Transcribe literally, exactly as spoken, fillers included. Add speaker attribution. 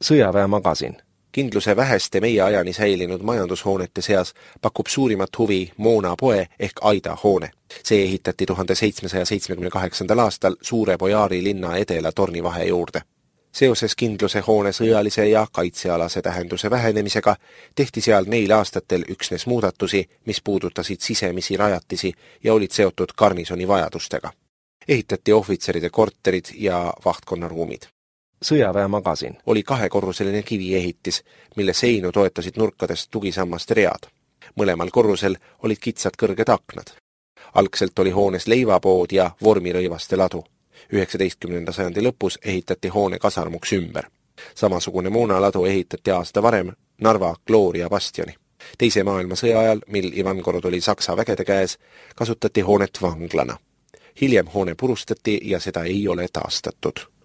Speaker 1: Sõjaväemagasin. Kindluse väheste meie ajani säilinud majandushoonete seas pakub suurimat huvi Moona poe ehk Aida hoone. See ehitati tuhande seitsmesaja seitsmekümne kaheksandal aastal Suure Bojaari linna edela tornivahe juurde. Seoses Kindluse hoone sõjalise ja kaitsealase tähenduse vähenemisega tehti seal neil aastatel üksnes muudatusi, mis puudutasid sisemisi rajatisi ja olid seotud garnisoni vajadustega. Ehitati ohvitseride korterid ja vahtkonnaruumid. Sõjaväemagasin oli kahekorruseline kiviehitis, mille seinu toetasid nurkadest tugisammaste read. Mõlemal korrusel olid kitsad kõrged aknad. Algselt oli hoones leivapood ja vormirõivaste ladu. üheksateistkümnenda sajandi lõpus ehitati hoone kasarmuks ümber. Samasugune moonaladu ehitati aasta varem Narva Gloria bastioni. Teise maailmasõja ajal, mil Ivangorod oli Saksa vägede käes, kasutati hoonet vanglana. Hiljem hoone purustati ja seda ei ole taastatud.